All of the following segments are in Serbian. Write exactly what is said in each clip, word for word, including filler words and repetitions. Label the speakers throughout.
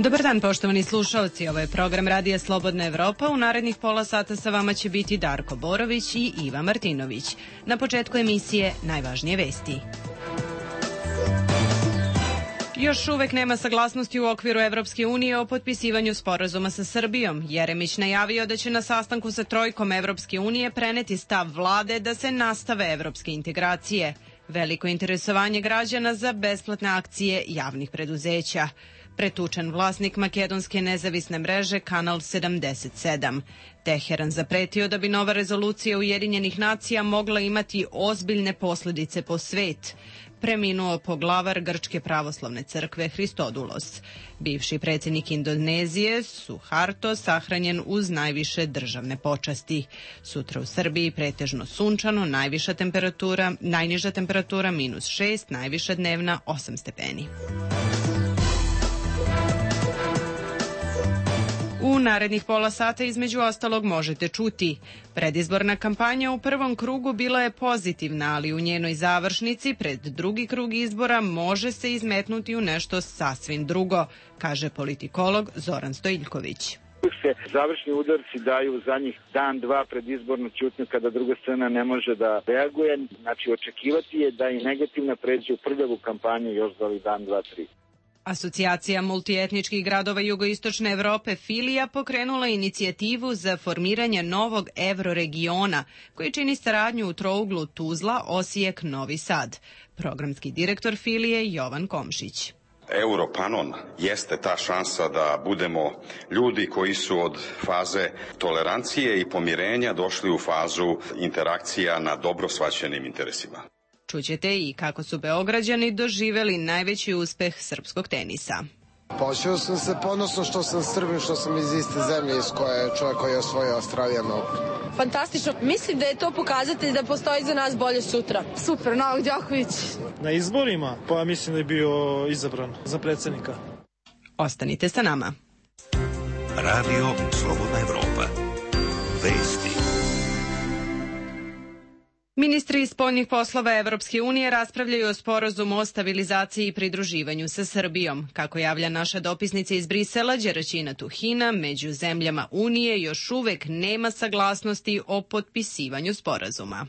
Speaker 1: Dobar dan, poštovani slušalci. Ovo je program Radija Slobodna Evropa. U narednih pola sata sa vama će biti Darko Borović i Iva Martinović. Na početku emisije najvažnije vesti. Još uvek nema saglasnosti u okviru Evropske unije o potpisivanju sporazuma sa Srbijom. Jeremić najavio da će na sastanku sa trojkom Evropske unije preneti stav vlade da se nastave evropske integracije. Veliko interesovanje građana za besplatne akcije javnih preduzeća. Pretučen vlasnik makedonske nezavisne mreže Kanal sedamdeset sedam. Teheran zapretio da bi nova rezolucija Ujedinjenih nacija mogla imati ozbiljne posledice po svet. Preminuo poglavar Grčke pravoslavne crkve Hristodulos. Bivši predsjednik Indonezije Suharto sahranjen uz najviše državne počasti. Sutra u Srbiji pretežno sunčano, najviša temperatura, najniža temperatura minus šest, najviša dnevna osam stepeni. U narednih pola sata između ostalog možete čuti. Predizborna kampanja u prvom krugu bila je pozitivna, ali u njenoj završnici pred drugi krug izbora može se izmetnuti u nešto sasvim drugo, kaže politikolog Zoran Stojiljković.
Speaker 2: Se završni udarci daju zadnjih dan, dva pred izbornu ćutnju kada druga strana ne može da reaguje. Znači očekivati je da i negativna pređe u prljavu kampanju još za ovih dan, dva, tri.
Speaker 1: Asocijacija multietničkih gradova jugoistočne Evrope Filija pokrenula inicijativu za formiranje novog evroregiona koji čini saradnju u trouglu Tuzla, Osijek, Novi Sad. Programski direktor Filije Jovan Komšić.
Speaker 3: Europanon jeste ta šansa da budemo ljudi koji su od faze tolerancije i pomirenja došli u fazu interakcija na dobro shvaćenim interesima.
Speaker 1: Čućete i kako su Beograđani doživeli najveći uspeh srpskog tenisa.
Speaker 4: Počeo sam se ponosno što sam Srbin, što sam iz iste zemlje iz koje je čovjek koji je osvojio Australijan Open.
Speaker 5: Fantastično. Mislim da je to pokazatelj da postoji za nas bolje sutra. Super, Novak Đoković.
Speaker 6: Na izborima, pa ja mislim da je bio izabran za predsjednika.
Speaker 1: Ostanite sa nama.
Speaker 7: Radio Slobodna Evropa. Vesti.
Speaker 1: Ministri spoljnih poslova Evropske unije raspravljaju o sporazumu o stabilizaciji i pridruživanju sa Srbijom. Kako javlja naša dopisnica iz Brisela, Đeraćina Tuhina, među zemljama Unije još uvek nema saglasnosti o potpisivanju sporazuma.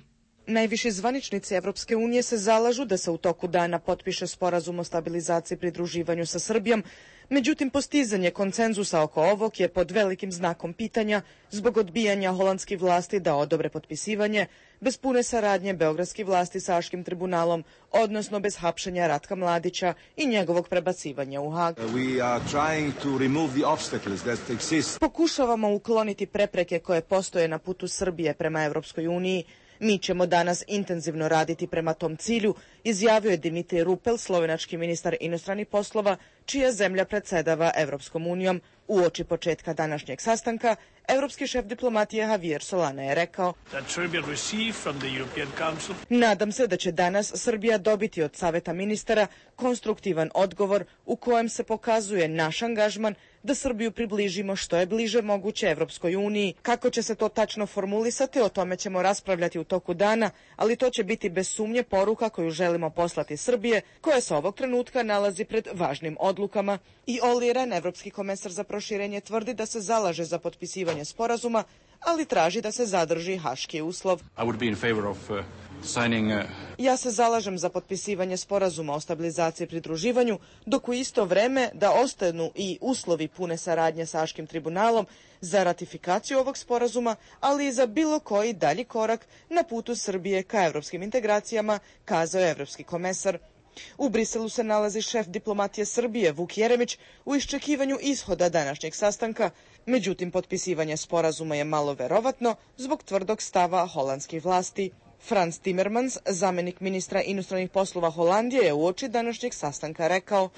Speaker 8: Najviši zvaničnici Evropske unije se zalažu da se u toku dana potpiše sporazum o stabilizaciji i pridruživanju sa Srbijom, međutim postizanje konsenzusa oko ovog je pod velikim znakom pitanja zbog odbijanja holandskih vlasti da odobre potpisivanje, bez pune saradnje beogradskih vlasti sa Haškim tribunalom, odnosno bez hapšenja Ratka Mladića i njegovog prebacivanja u Hag. Pokušavamo ukloniti prepreke koje postoje na putu Srbije prema Evropskoj uniji. Mi ćemo danas intenzivno raditi prema tom cilju, izjavio je Dimitri Rupel, slovenački ministar inostranih poslova, čija zemlja predsedava Evropskom unijom. Uoči početka današnjeg sastanka, evropski šef diplomatije Javier Solana je rekao: Nadam se da će danas Srbija dobiti od Saveta ministara konstruktivan odgovor u kojem se pokazuje naš angažman da Srbiju približimo što je bliže moguće Evropskoj uniji. Kako će se to tačno formulisati, o tome ćemo raspravljati u toku dana, ali to će biti bez sumnje poruka koju želimo poslati Srbije, koja se ovog trenutka nalazi pred važnim odlukama. I Olli Rehn, evropski komesar za proširenje, tvrdi da se zalaže za potpisivanje sporazuma, ali traži da se zadrži haški uslov. Ja se zalažem za potpisivanje sporazuma o stabilizaciji i pridruživanju, dok u isto vreme da ostanu i uslovi pune saradnje sa Haškim tribunalom za ratifikaciju ovog sporazuma, ali i za bilo koji dalji korak na putu Srbije ka evropskim integracijama, kazao je evropski komesar. U Briselu se nalazi šef diplomatije Srbije Vuk Jeremić u iščekivanju ishoda današnjeg sastanka, međutim potpisivanje sporazuma je malo verovatno zbog tvrdog stava holandskih vlasti. Frans Timmermans, zamenik ministra inostranih poslova Holandije, je uoči današnjeg sastanka rekao: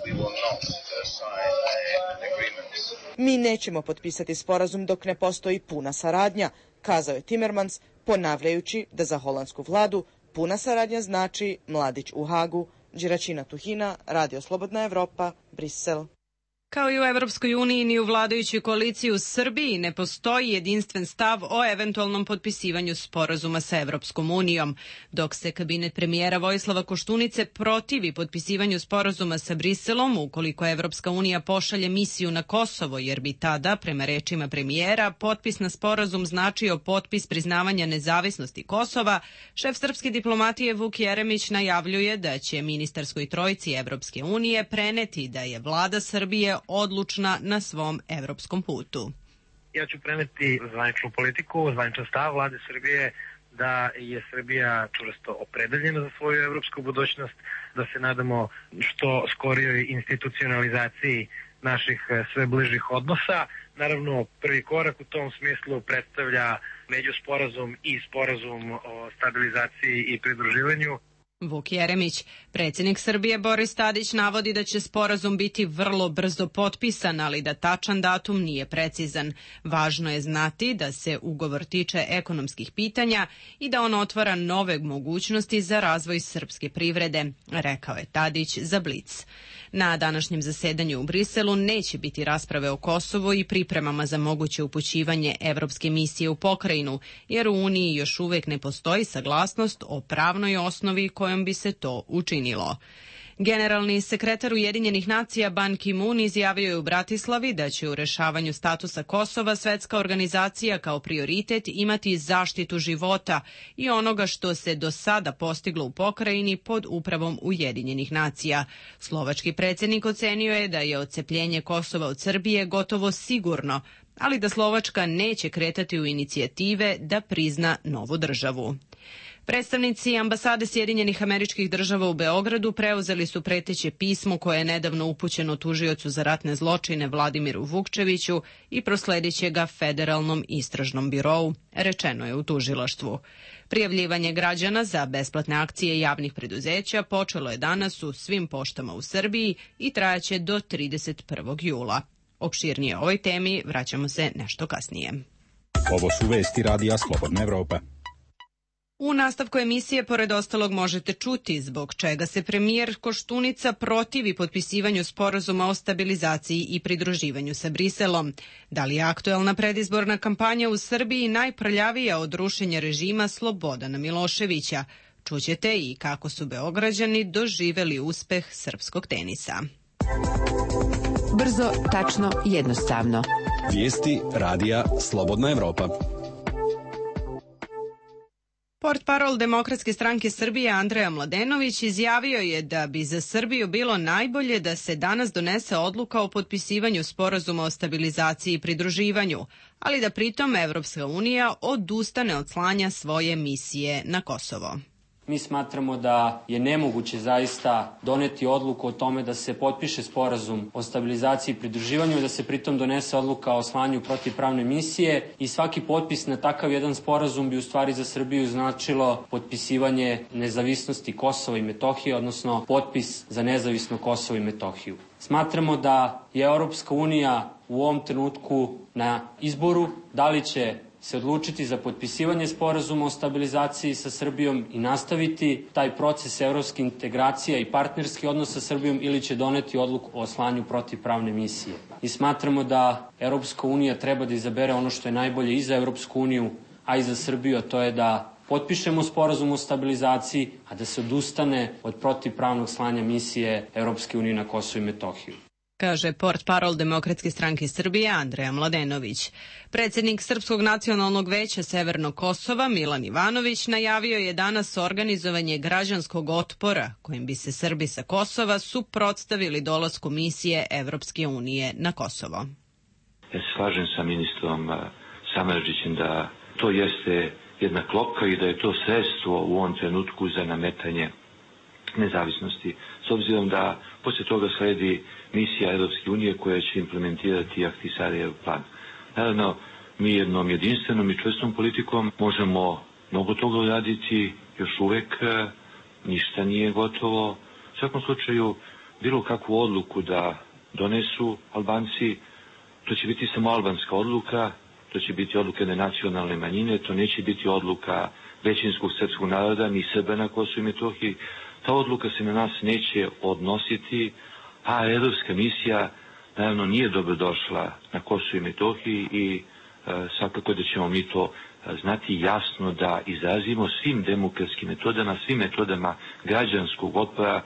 Speaker 8: Mi nećemo potpisati sporazum dok ne postoji puna saradnja, kazao je Timmermans, ponavljajući da za holandsku vladu puna saradnja znači Mladić u Hagu. Đeraćina Tuhina, Radio Slobodna Evropa, Brisel.
Speaker 1: Kao i u Evropskoj uniji, ni u vladajućoj koaliciji u Srbiji ne postoji jedinstven stav o eventualnom potpisivanju sporazuma sa Evropskom unijom. Dok se kabinet premijera Vojislava Koštunice protivi potpisivanju sporazuma sa Briselom ukoliko Evropska unija pošalje misiju na Kosovo, jer bi tada, prema rečima premijera, potpis na sporazum značio potpis priznavanja nezavisnosti Kosova, šef srpske diplomatije Vuk Jeremić najavljuje da će ministarskoj trojci Evropske unije preneti da je vlada Srbije odlučna na svom evropskom putu.
Speaker 9: Ja ću preneti zvaničnu politiku, zvaničan stav vlade Srbije da je Srbija čvrsto opredeljena za svoju evropsku budućnost, da se nadamo što skorijoj institucionalizaciji naših sve bližih odnosa. Naravno, prvi korak u tom smislu predstavlja međusporazum i sporazum o stabilizaciji i pridruživanju.
Speaker 1: Vuk Jeremić. Predsjednik Srbije Boris Tadić navodi da će sporazum biti vrlo brzo potpisan, ali da tačan datum nije precizan. Važno je znati da se ugovor tiče ekonomskih pitanja i da on otvara nove mogućnosti za razvoj srpske privrede, rekao je Tadić za Blic. Na današnjem zasedanju u Briselu neće biti rasprave o Kosovu i pripremama za moguće upućivanje evropske misije u pokrajinu, jer u Uniji još uvek ne postoji saglasnost o pravnoj osnovi kojom bi se to učinilo. Generalni sekretar Ujedinjenih nacija Ban Ki-moon izjavio je u Bratislavi da će u rešavanju statusa Kosova svetska organizacija kao prioritet imati zaštitu života i onoga što se do sada postiglo u pokrajini pod upravom Ujedinjenih nacija. Slovački predsjednik ocenio je da je odcepljenje Kosova od Srbije gotovo sigurno, ali da Slovačka neće kretati u inicijative da prizna novu državu. Predstavnici ambasade Sjedinjenih Američkih Država u Beogradu preuzeli su preteće pismo koje je nedavno upućeno tužiocu za ratne zločine Vladimiru Vukčeviću i prosledit će ga Federalnom istražnom birou, rečeno je u tužilaštvu. Prijavljivanje građana za besplatne akcije javnih preduzeća počelo je danas u svim poštama u Srbiji i trajaće do trideset prvog jula. Opširnije o ovoj temi vraćamo se nešto kasnije.
Speaker 10: Ovo su vesti Radija Slobodna Evropa.
Speaker 1: U nastavku emisije, pored ostalog, možete čuti zbog čega se premijer Koštunica protivi potpisivanju sporazuma o stabilizaciji i pridruživanju sa Briselom. Da li je aktuelna predizborna kampanja u Srbiji najprljavija od rušenja režima Slobodana Miloševića? Čućete i kako su Beograđani doživeli uspeh srpskog tenisa.
Speaker 11: Brzo, tačno, jednostavno.
Speaker 10: Vijesti Radija Slobodna Evropa.
Speaker 1: Portparol Demokratske stranke Srbije Andreja Mladenović izjavio je da bi za Srbiju bilo najbolje da se danas donese odluka o potpisivanju sporazuma o stabilizaciji i pridruživanju, ali da pritom Evropska unija odustane od slanja svoje misije na Kosovo.
Speaker 12: Mi smatramo da je nemoguće zaista doneti odluku o tome da se potpiše sporazum o stabilizaciji i pridruživanju i da se pritom donese odluka o slanju protivpravne misije i svaki potpis na takav jedan sporazum bi u stvari za Srbiju značilo potpisivanje nezavisnosti Kosova i Metohije, odnosno potpis za nezavisno Kosovo i Metohiju. Smatramo da je Europska unija u ovom trenutku na izboru da li će se odlučiti za potpisivanje sporazuma o stabilizaciji sa Srbijom i nastaviti taj proces evropske integracije i partnerski odnos sa Srbijom ili će doneti odluku o slanju protivpravne misije. I smatramo da Evropska unija treba da izabere ono što je najbolje i za Evropsku uniju, a i za Srbiju, a to je da potpišemo sporazum o stabilizaciji, a da se odustane od protivpravnog slanja misije Evropske unije na Kosovo i Metohiju,
Speaker 1: kaže portparol Demokratske stranke Srbije Andreja Mladenović. Predsjednik Srpskog nacionalnog veća Severnog Kosova Milan Ivanović najavio je danas organizovanje građanskog otpora kojim bi se Srbi sa Kosova suprotstavili dolasku misije Evropske unije na Kosovo.
Speaker 13: Ja se slažem sa ministrom Samardžićem da to jeste jedna klopka i da je to sredstvo u ovom trenutku za nametanje nezavisnosti, s obzirom da poslije toga sledi misija Europske unije koja će implementirati Ahtisarijev plan. Naravno, mi jednom jedinstvenom i čvrstom politikom možemo mnogo toga uraditi, još uvek ništa nije gotovo. U svakom slučaju, bilo kakvu odluku da donesu Albanci, to će biti samo albanska odluka, to će biti odluka na nacionalne manjine, to neće biti odluka većinskog srpskog naroda, ni Srba na Kosovu i Metohiji. Ta odluka se na nas neće odnositi, a evropska misija naravno nije dobrodošla na Kosovu i Metohiji i e, svakako da ćemo mi to znati jasno da izrazimo svim demokratskim metodama, svim metodama građanskog otpora,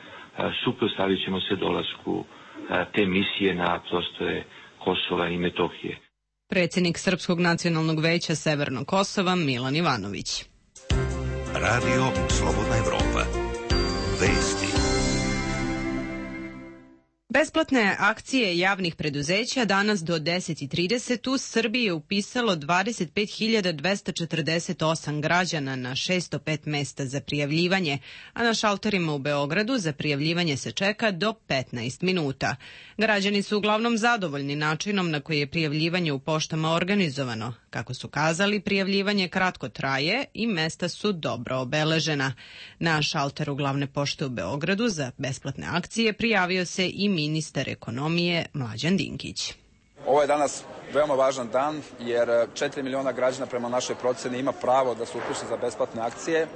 Speaker 13: suprotstavit ćemo se dolasku te misije na prostore Kosova i Metohije.
Speaker 1: Predsjednik Srpskog nacionalnog veća Severnog Kosova Milan Ivanović.
Speaker 7: Radio Slobodna Evropa. Vesti.
Speaker 1: Besplatne akcije javnih preduzeća danas do deset i trideset u Srbiji je upisalo dvadeset pet hiljada dvesta četrdeset osam građana na šesto pet mesta za prijavljivanje, a na šalterima u Beogradu za prijavljivanje se čeka do petnaest minuta. Građani su uglavnom zadovoljni načinom na koji je prijavljivanje u poštama organizovano. Kako su kazali, prijavljivanje kratko traje i mesta su dobro obeležena. Na šalteru glavne pošte u Beogradu za besplatne akcije prijavio se i ministar ekonomije Mlađan Dinkić.
Speaker 14: Ovo je danas veoma važan dan jer četiri miliona građana prema našoj proceni ima pravo da se upiše za besplatne akcije.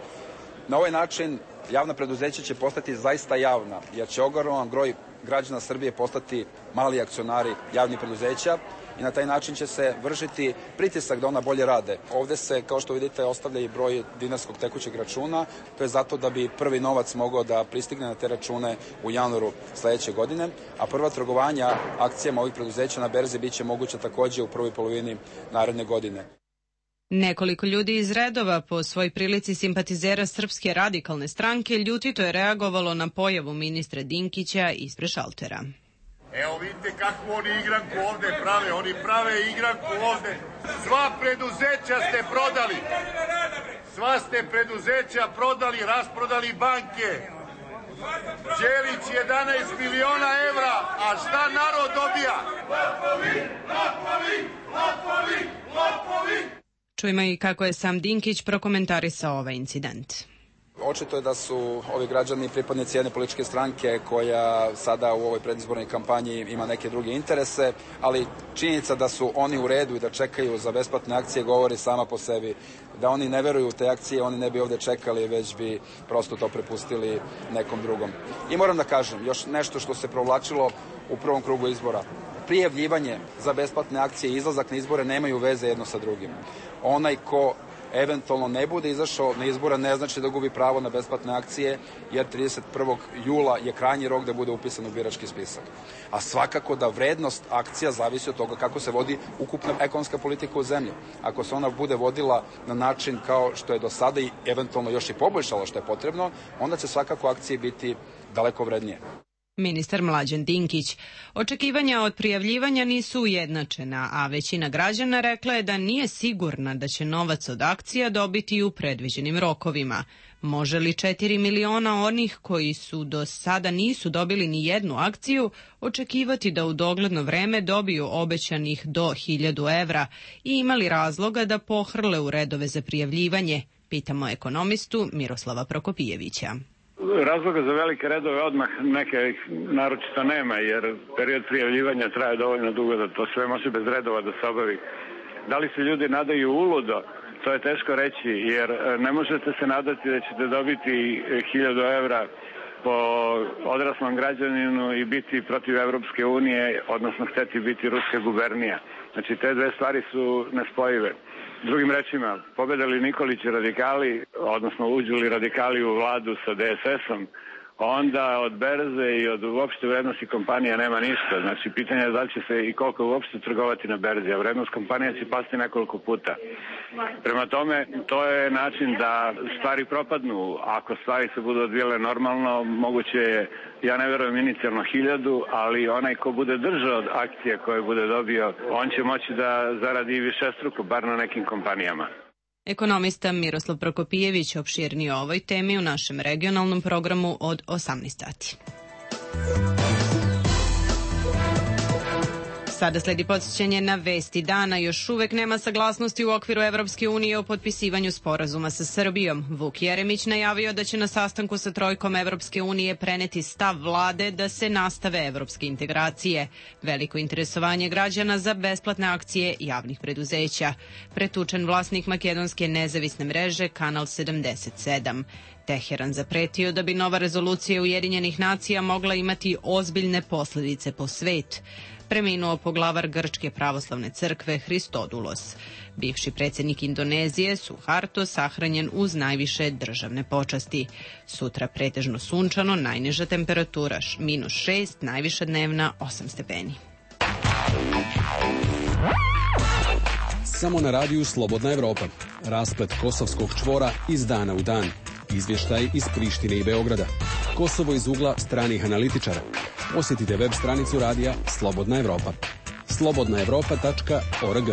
Speaker 14: Na ovaj način javna preduzeća će postati zaista javna jer će ogroman broj građana Srbije postati mali akcionari javnih preduzeća i na taj način će se vršiti pritisak da ona bolje rade. Ovde se, kao što vidite, ostavlja i broj dinarskog tekućeg računa. To je zato da bi prvi novac mogao da pristigne na te račune u januaru sledeće godine, a prva trgovanja akcijama ovih preduzeća na berzi biće moguća takođe u prvoj polovini naredne godine.
Speaker 1: Nekoliko ljudi iz redova po svoj prilici simpatizera Srpske radikalne stranke ljutito je reagovalo na pojavu ministra Dinkića ispred šaltera.
Speaker 15: Evo vidite kakvu oni igranku ovde prave, oni prave igranku ovde. Sva preduzeća ste prodali. Sva ste preduzeća prodali, rasprodali banke. Đelić jedanaest miliona evra, a šta narod dobija? Lopovi, lopovi, lopovi, lopovi.
Speaker 1: Čujemo i kako je sam Dinkić prokomentarisao ovaj incident.
Speaker 14: Očito je da su ovi građani pripadnici jedne političke stranke koja sada u ovoj predizbornoj kampanji ima neke druge interese, ali činjenica da su oni u redu i da čekaju za besplatne akcije govori sama po sebi. Da oni ne veruju u te akcije, oni ne bi ovde čekali, već bi prosto to prepustili nekom drugom. I moram da kažem, još nešto što se provlačilo u prvom krugu izbora. Prijavljivanje za besplatne akcije i izlazak na izbore nemaju veze jedno sa drugim. Onaj ko eventualno ne bude izašao na izbora ne znači da gubi pravo na besplatne akcije, jer trideset prvog jula je krajnji rok da bude upisan u birački spisak. A svakako da vrednost akcija zavisi od toga kako se vodi ukupna ekonomska politika u zemlji. Ako se ona bude vodila na način kao što je do sada i eventualno još i poboljšala što je potrebno, onda će svakako akcije biti daleko vrednije.
Speaker 1: Ministar Mlađan Dinkić. Očekivanja od prijavljivanja nisu ujednačena, a većina građana rekla je da nije sigurna da će novac od akcija dobiti u predviđenim rokovima. Može li četiri miliona onih koji su do sada nisu dobili ni jednu akciju očekivati da u dogledno vreme dobiju obećanih do hiljadu evra i imali razloga da pohrle u redove za prijavljivanje? Pitamo ekonomistu Miroslava Prokopijevića.
Speaker 16: Razloga za velike redove odmah neke naročito nema, jer period prijavljivanja traje dovoljno dugo da to sve može bez redova da se obavi. Da li se ljudi nadaju uludo, to je teško reći, jer ne možete se nadati da ćete dobiti hiljadu evra po odraslom građaninu i biti protiv Evropske unije, odnosno hteti biti ruska gubernija. Znači, te dve stvari su nespojive. Drugim rečima, pobede li Nikolić i radikali, odnosno uđu li radikali u vladu sa D S S-om, onda od berze i od uopšte vrednosti kompanija nema ništa. Znači, pitanje je da li će se i koliko uopšte trgovati na berzi, a vrednost kompanija će pasti nekoliko puta. Prema tome, to je način da stvari propadnu. Ako stvari se budu odvijele normalno, moguće je, ja ne verujem inicijalno hiljadu, ali onaj ko bude držao od akcije koje bude dobio, on će moći da zaradi i višestruko, bar na nekim kompanijama.
Speaker 1: Ekonomista Miroslav Prokopijević opširnije o ovoj temi u našem regionalnom programu od osamnaest sati. Sada sledi podsjećanje na vesti dana. Još uvek nema saglasnosti u okviru Evropske unije o potpisivanju sporazuma sa Srbijom. Vuk Jeremić najavio da će na sastanku sa trojkom Evropske unije preneti stav vlade da se nastave evropske integracije. Veliko interesovanje građana za besplatne akcije javnih preduzeća. Pretučen vlasnik makedonske nezavisne mreže Kanal sedamdeset sedam. Teheran zapretio da bi nova rezolucija Ujedinjenih nacija mogla imati ozbiljne posljedice po svet. Preminuo poglavar Grčke pravoslavne crkve Hristodulos. Bivši predsjednik Indonezije Suharto sahranjen uz najviše državne počasti. Sutra pretežno sunčano, najniža temperatura minus šest, najviša dnevna osam stepeni.
Speaker 10: Samo na radiju Slobodna Evropa. Rasplet kosovskog čvora iz dana u dan. Izvještaj iz Prištine i Beograda. Kosovo iz ugla stranih analitičara. Posjetite web stranicu radija Slobodna Evropa. slobodna evropa tačka org.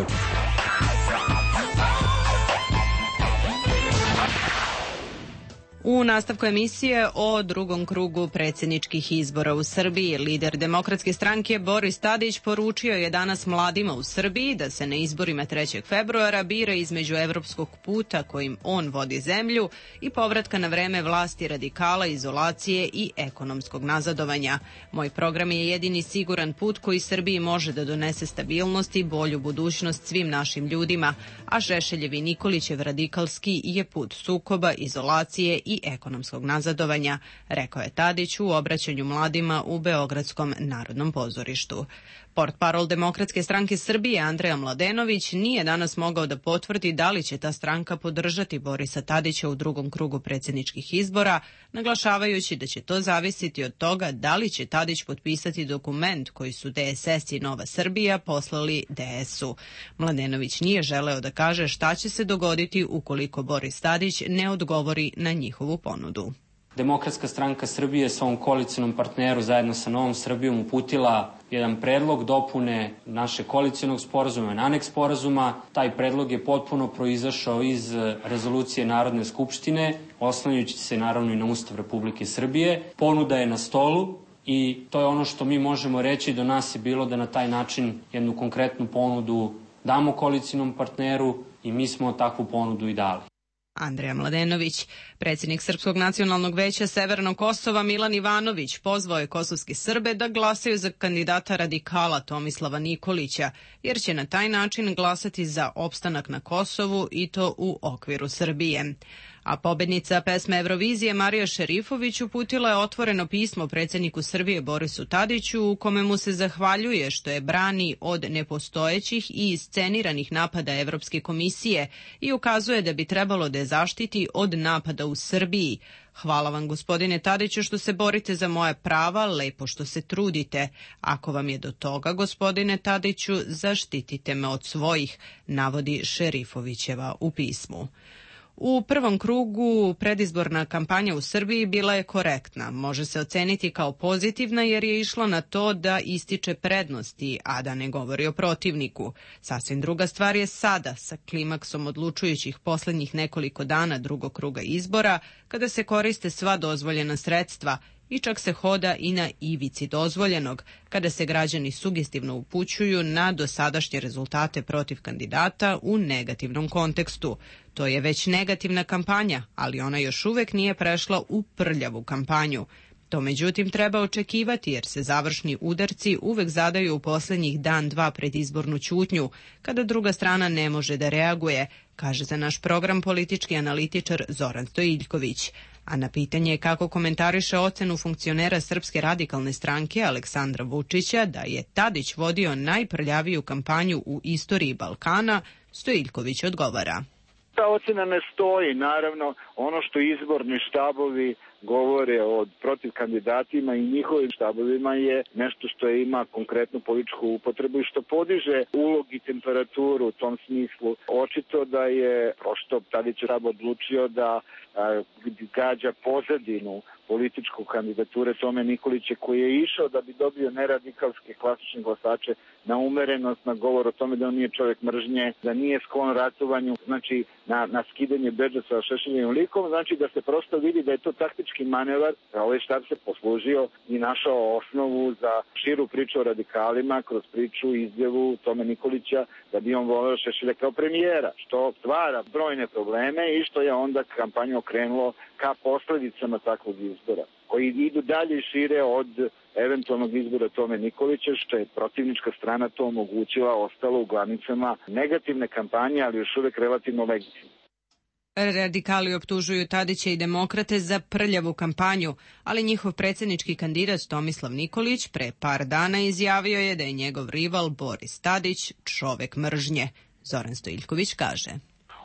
Speaker 1: U nastavku emisije o drugom krugu predsjedničkih izbora u Srbiji, lider Demokratske stranke Boris Tadić poručio je danas mladima u Srbiji da se na izborima trećeg februara bira između evropskog puta kojim on vodi zemlju i povratka na vreme vlasti radikala, izolacije i ekonomskog nazadovanja. Moj program je jedini siguran put koji Srbiji može da donese stabilnost i bolju budućnost svim našim ljudima, a Šešeljev i Nikolićev radikalski je put sukoba, izolacije i ekonomskog nazadovanja, rekao je Tadić u obraćanju mladima u Beogradskom narodnom pozorištu. Portparol Demokratske stranke Srbije Andreja Mladenović nije danas mogao da potvrdi da li će ta stranka podržati Borisa Tadića u drugom krugu predsjedničkih izbora, naglašavajući da će to zavisiti od toga da li će Tadić potpisati dokument koji su D S S i Nova Srbija poslali D S-u. Mladenović nije želeo da kaže šta će se dogoditi ukoliko Boris Tadić ne odgovori na njihovu ponudu.
Speaker 12: Demokratska stranka Srbije svom koalicionom partneru zajedno sa Novom Srbijom uputila jedan predlog dopune našeg koalicionog sporazuma, aneks sporazuma. Taj predlog je potpuno proizašao iz rezolucije Narodne skupštine, oslanjajući se naravno i na Ustav Republike Srbije. Ponuda je na stolu i to je ono što mi možemo reći. Do nas je bilo da na taj način jednu konkretnu ponudu damo koalicionom partneru i mi smo takvu ponudu i dali.
Speaker 1: Andreja Mladenović. Predsjednik Srpskog nacionalnog veća Severnog Kosova Milan Ivanović pozvao je kosovske Srbe da glasaju za kandidata radikala Tomislava Nikolića, jer će na taj način glasati za opstanak na Kosovu i to u okviru Srbije. A pobednica pesme Eurovizije Marija Šerifović uputila je otvoreno pismo predsjedniku Srbije Borisu Tadiću u kome mu se zahvaljuje što je brani od nepostojećih i isceniranih napada Evropske komisije i ukazuje da bi trebalo da je zaštiti od napada u Srbiji. Hvala vam, gospodine Tadiću, što se borite za moje prava, lepo što se trudite. Ako vam je do toga, gospodine Tadiću, zaštitite me od svojih, navodi Šerifovićeva u pismu. U prvom krugu predizborna kampanja u Srbiji bila je korektna. Može se oceniti kao pozitivna jer je išla na to da ističe prednosti, a da ne govori o protivniku. Sasvim druga stvar je sada, sa klimaksom odlučujućih posljednjih nekoliko dana drugog kruga izbora, kada se koriste sva dozvoljena sredstva i čak se hoda i na ivici dozvoljenog, kada se građani sugestivno upućuju na dosadašnje rezultate protiv kandidata u negativnom kontekstu. To je već negativna kampanja, ali ona još uvek nije prešla u prljavu kampanju. To međutim treba očekivati jer se završni udarci uvek zadaju u posljednjih dan dva pred izbornu ćutnju, kada druga strana ne može da reaguje, kaže za naš program politički analitičar Zoran Stojiljković. A na pitanje kako komentariše ocenu funkcionera Srpske radikalne stranke Aleksandra Vučića da je Tadić vodio najprljaviju kampanju u istoriji Balkana, Stojiljković odgovara.
Speaker 2: Ta ocena ne stoji, naravno, ono što izborni štabovi govore o protiv kandidatima i njihovim štabovima je nešto što ima konkretnu političku upotrebu i što podiže ulog i temperaturu u tom smislu. Očito da je prosto Tadić štab odlučio da a, gađa pozadinu političku kandidature Tome Nikolića koji je išao da bi dobio neradikalske klasične glasače na umerenost, na govor o tome da on nije čovjek mržnje, da nije sklon ratovanju, znači na, na skidanje bedža sa Šešeljevim likom, znači da se prosto vidi da je to taktički manevar, da ovaj štab se poslužio i našao osnovu za širu priču o radikalima kroz priču, izjavu Tome Nikolića da bi on voleo Šešelja kao premijera, što stvara brojne probleme i što je onda kampanju okrenulo ka posledicama takvog izbora, koji idu dalje i šire od eventualnog izbora Tome Nikolića, što je protivnička strana to omogućila, ostalo u glavnicama negativne kampanje, ali još uvek relativno legitimne.
Speaker 1: Radikali optužuju Tadića i demokrate za prljavu kampanju, ali njihov predsjednički kandidat Tomislav Nikolić pre par dana izjavio je da je njegov rival Boris Tadić čovek mržnje. Zoran Stojiljković kaže: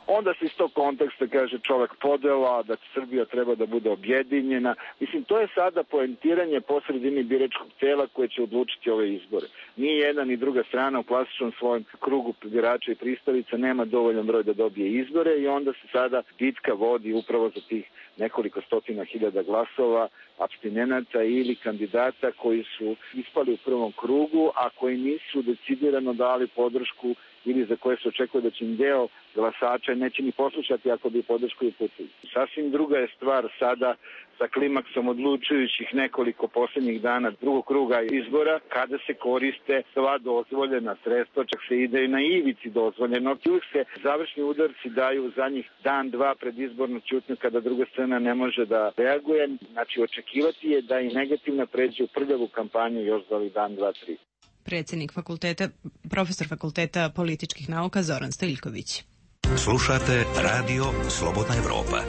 Speaker 2: Onda se iz tog konteksta kaže čovek podela, da Srbija treba da bude objedinjena. Mislim, to je sada poentiranje po sredini biračkog tela koje će odlučiti ove izbore. Ni jedna ni druga strana u klasičnom svojem krugu birača i pristalica nema dovoljan broj da dobije izbore i onda se sada bitka vodi upravo za tih nekoliko stotina hiljada glasova apstinenata ili kandidata koji su ispali u prvom krugu, a koji nisu decidirano dali podršku ili za koje se očekuje da će im deo glasača neće ni poslušati ako bi podršku uputili. Sasvim druga je stvar sada sa klimaksom odlučujućih nekoliko posljednjih dana drugog kruga izbora, kada se koriste sva dozvoljena sredstva, čak se ide i na ivici dozvoljeno. Uvijek se završni udarci daju za njih dan, dva pred izbornu ćutnju kada druga strana ne može da reaguje. Znači, očekivati je da i negativna pređe u prljavu kampanju još za ovih dan, dva, tri.
Speaker 1: Predsjednik fakulteta, profesor fakulteta političkih nauka Zoran Stojiljković.
Speaker 7: Slušate Radio Slobodna Evropa.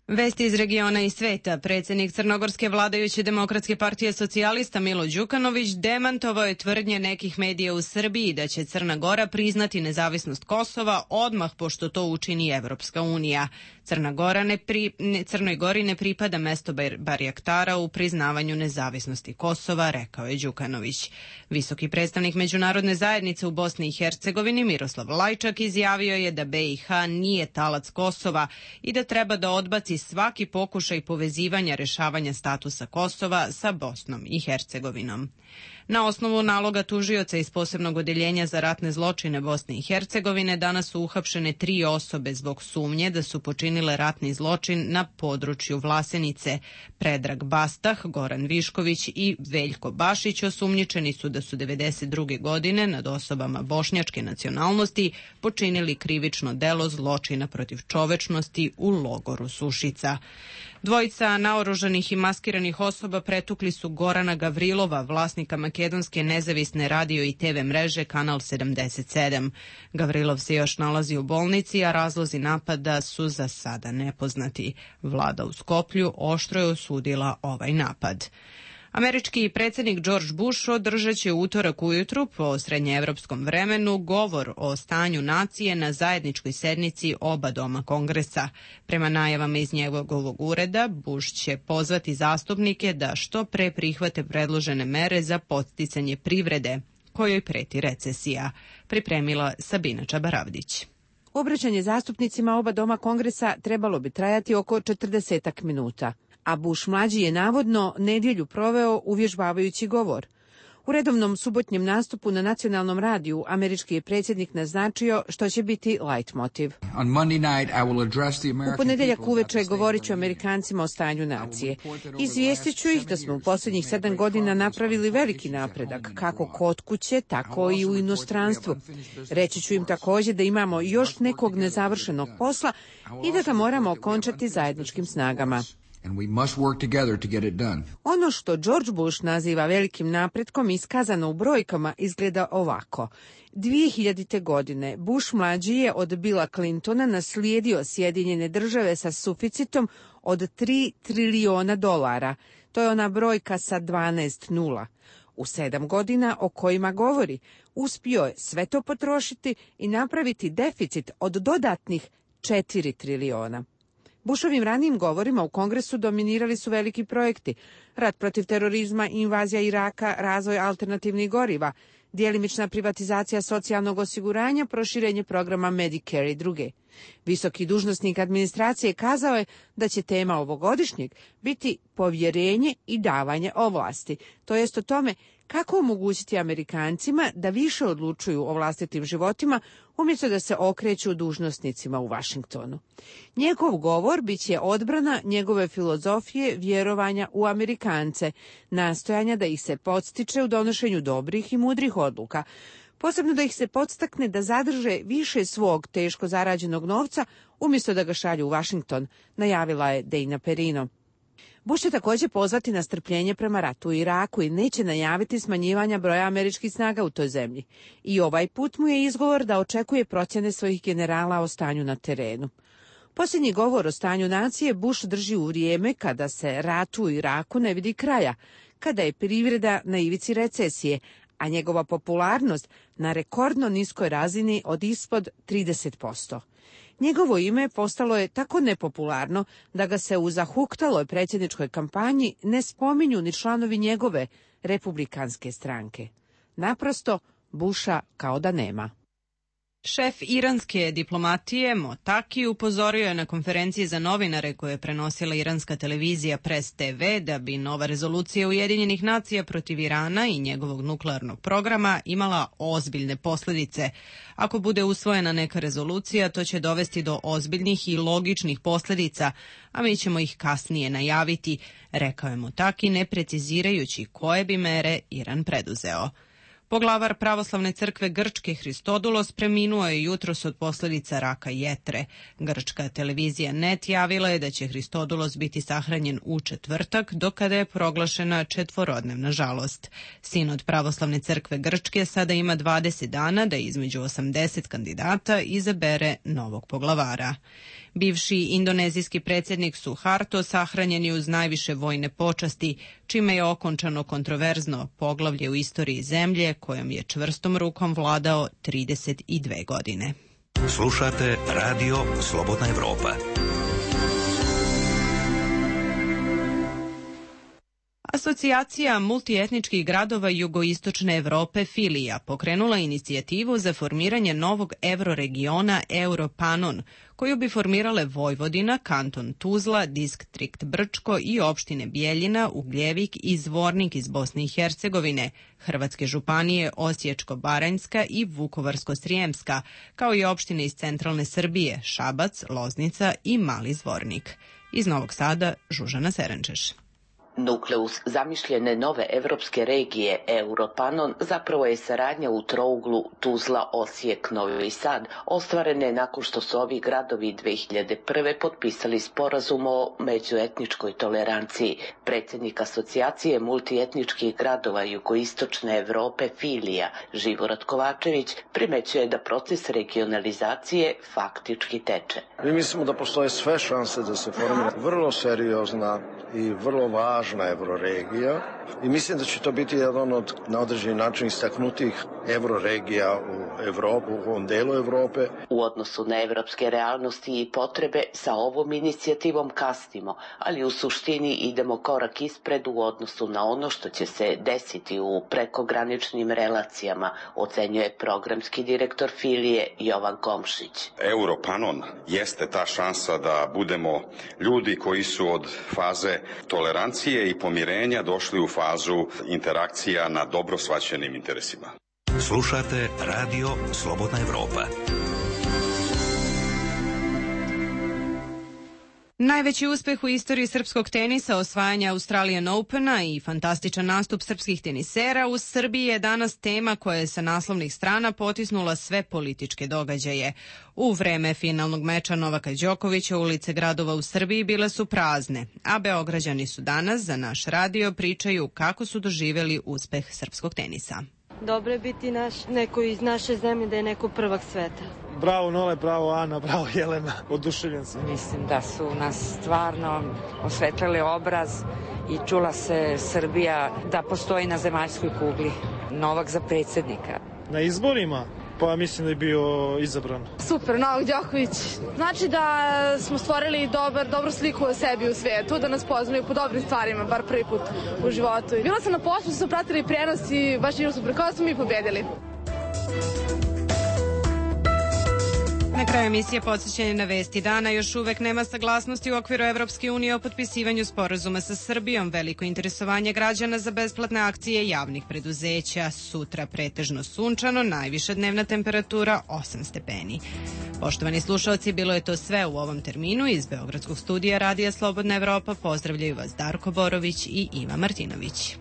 Speaker 1: Vesti iz regiona i sveta. Predsjednik crnogorske vladajuće demokratske partije socijalista Milo Đukanović demantovao je tvrdnje nekih medija u Srbiji da će Crna Gora priznati nezavisnost Kosova odmah pošto to učini Evropska unija. Crna Gora ne pri, ne, Crnoj Gori ne pripada mesto barjaktara u priznavanju nezavisnosti Kosova, rekao je Đukanović. Visoki predstavnik međunarodne zajednice u Bosni i Hercegovini Miroslav Lajčak izjavio je da B i H nije talac Kosova i da treba da odbaci svaki pokušaj povezivanja rešavanja statusa Kosova sa Bosnom i Hercegovinom. Na osnovu naloga tužioca iz posebnog odeljenja za ratne zločine Bosne i Hercegovine danas su uhapšene tri osobe zbog sumnje da su počinile ratni zločin na području Vlasenice. Predrag Bastah, Goran Višković i Veljko Bašić osumnjičeni su da su devedeset druge godine nad osobama bošnjačke nacionalnosti počinili krivično delo zločina protiv čovečnosti u logoru Sušica. Dvojica naoružanih i maskiranih osoba pretukli su Gorana Gavrilova, vlasnika makedonske nezavisne radio i te ve mreže Kanal sedamdeset sedam. Gavrilov se još nalazi u bolnici, a razlozi napada su za sada nepoznati. Vlada u Skoplju oštro je osudila ovaj napad. Američki predsjednik George Bush održat će utorak ujutru po srednjeevropskom vremenu govor o stanju nacije na zajedničkoj sednici oba doma Kongresa. Prema najavama iz njegovog ureda, Bush će pozvati zastupnike da što pre prihvate predložene mere za podsticanje privrede, kojoj preti recesija. Pripremila Sabina Čabaravdić.
Speaker 11: Obraćanje zastupnicima oba doma Kongresa trebalo bi trajati oko četrdesetak minuta. A Bush mlađi je navodno nedjelju proveo uvježbavajući govor. U redovnom subotnjem nastupu na nacionalnom radiju američki je predsjednik naznačio što će biti leitmotiv. U ponedjeljak uveče govorit ću Amerikancima o stanju nacije. Izvijestit ću ih da smo u posljednjih sedam godina napravili veliki napredak, kako kod kuće, tako i u inostranstvu. Reći ću im također da imamo još nekog nezavršenog posla i da ga moramo okončati zajedničkim snagama.
Speaker 17: And we must work together to get it done.
Speaker 11: Ono što George Bush naziva velikim napretkom iskazano u brojkama izgleda ovako. dvije hiljadite. godine Bush mlađi je od Billa Clintona naslijedio Sjedinjene države sa suficitom od tri trilijona dolara. To je ona brojka sa dvanaest nula. U sedam godina o kojima govori, uspio je sve to potrošiti i napraviti deficit od dodatnih četiri trilijona. Bushovim ranijim govorima u Kongresu dominirali su veliki projekti, rat protiv terorizma, invazija Iraka, razvoj alternativnih goriva, djelimična privatizacija socijalnog osiguranja, proširenje programa Medicare i druge. Visoki dužnosnik administracije kazao je da će tema ovogodišnjeg biti povjerenje i davanje ovlasti, to jest o tome kako omogućiti Amerikancima da više odlučuju o vlastitim životima umjesto da se okreću dužnosnicima u Washingtonu. Njegov govor bit će odbrana njegove filozofije vjerovanja u Amerikance, nastojanja da ih se podstiče u donošenju dobrih i mudrih odluka, posebno da ih se podstakne da zadrže više svog teško zarađenog novca umjesto da ga šalju u Washington, najavila je Dana Perino. Bush će također pozvati na strpljenje prema ratu u Iraku i neće najaviti smanjivanja broja američkih snaga u toj zemlji. I ovaj put mu je izgovor da očekuje procjene svojih generala o stanju na terenu. Posljednji govor o stanju nacije Bush drži u vrijeme kada se ratu u Iraku ne vidi kraja, kada je privreda na ivici recesije, a njegova popularnost na rekordno niskoj razini od ispod trideset posto. Njegovo ime postalo je tako nepopularno da ga se u zahuktaloj predsjedničkoj kampanji ne spominju ni članovi njegove republikanske stranke. Naprosto, Busha kao da nema.
Speaker 1: Šef iranske diplomatije Motaki upozorio je na konferenciji za novinare koje je prenosila iranska televizija Press te ve da bi nova rezolucija Ujedinjenih nacija protiv Irana i njegovog nuklearnog programa imala ozbiljne posljedice. Ako bude usvojena neka rezolucija, to će dovesti do ozbiljnih i logičnih posljedica, a mi ćemo ih kasnije najaviti, rekao je Motaki, ne precizirajući koje bi mere Iran preduzeo. Poglavar pravoslavne crkve Grčke Hristodulos preminuo je jutros od posljedica raka jetre. Grčka televizija Net javila je da će Hristodulos biti sahranjen u četvrtak, do kada je proglašena četvorodnevna žalost. Sinod pravoslavne crkve Grčke sada ima dvadeset dana da između osamdeset kandidata izabere novog poglavara. Bivši indonezijski predsjednik Suharto sahranjen je uz najviše vojne počasti, čime je okončano kontroverzno poglavlje u istoriji zemlje kojom je čvrstom rukom vladao trideset dve godine.
Speaker 7: Slušate Radio Slobodna Evropa.
Speaker 1: Asocijacija multietničkih gradova jugoistočne Evrope Filija pokrenula inicijativu za formiranje novog euroregiona Europanon, koju bi formirale Vojvodina, kanton Tuzla, distrikt Brčko i opštine Bijeljina, Ugljevik i Zvornik iz Bosne i Hercegovine, hrvatske županije Osječko-baranjska i Vukovarsko-srijemska, kao i opštine iz centralne Srbije, Šabac, Loznica i Mali Zvornik. Iz Novog Sada, Žužana Serenčeš.
Speaker 18: Nukleus zamišljene nove evropske regije Europanon zapravo je saradnja u trouglu Tuzla, Osijek, Novi Sad, ostvarene nakon što su ovi gradovi dve hiljade prve. potpisali sporazum o međuetničkoj toleranciji. Predsjednik asocijacije multietničkih gradova jugoistočne Evrope Filija, Živorad Kovačević, primećuje da proces regionalizacije faktički teče.
Speaker 19: Mi mislimo da postoje sve šanse da se formira vrlo seriozna i vrlo važna euroregija i mislim da će to biti jedan od na određeni način istaknutih euroregija u Evropu, u ovom delu Evrope.
Speaker 18: U odnosu na evropske realnosti i potrebe sa ovom inicijativom kasnimo, ali u suštini idemo korak ispred u odnosu na ono što će se desiti u prekograničnim relacijama, ocenjuje programski direktor Filije Jovan Komšić.
Speaker 3: Europanon jeste ta šansa da budemo ljudi koji su od faze tolerancije i pomirenja došli u fazu interakcija na dobro shvaćenim interesima.
Speaker 7: Slušate Radio Slobodna Evropa.
Speaker 1: Najveći uspeh u istoriji srpskog tenisa, osvajanja Australian Opena i fantastičan nastup srpskih tenisera u Srbiji je danas tema koja je sa naslovnih strana potisnula sve političke događaje. U vreme finalnog meča Novaka Đokovića ulice gradova u Srbiji bile su prazne, a Beograđani su danas za naš radio pričaju kako su doživjeli uspeh srpskog tenisa.
Speaker 20: Dobro je biti naš, neko iz naše zemlje, da je neko prvak sveta.
Speaker 6: Bravo Nole, bravo Ana, bravo Jelena, oduševljen sam.
Speaker 21: Mislim da su nas stvarno osvetlili obraz i čula se Srbija da postoji na zemaljskoj kugli. Novak za predsjednika.
Speaker 6: Na izborima? Pa mislim da je bio izabran.
Speaker 5: Super, Novak Đoković. Znači da smo stvorili dobar, dobru sliku o sebi u svijetu, da nas poznaju po dobrim stvarima, bar prvi put u životu. Bila sam na poslu, su pratili prenos i baš je super, kao smo mi pobedili.
Speaker 1: Na kraju emisije podsjećanje na vesti dana. Još uvek nema saglasnosti u okviru Evropske unije o potpisivanju sporazuma sa Srbijom. Veliko interesovanje građana za besplatne akcije javnih preduzeća. Sutra pretežno sunčano, najviša dnevna temperatura osam stepeni. Poštovani slušalci, bilo je to sve u ovom terminu. Iz Beogradskog studija Radija Slobodna Evropa pozdravljaju vas Darko Borović i Iva Martinović.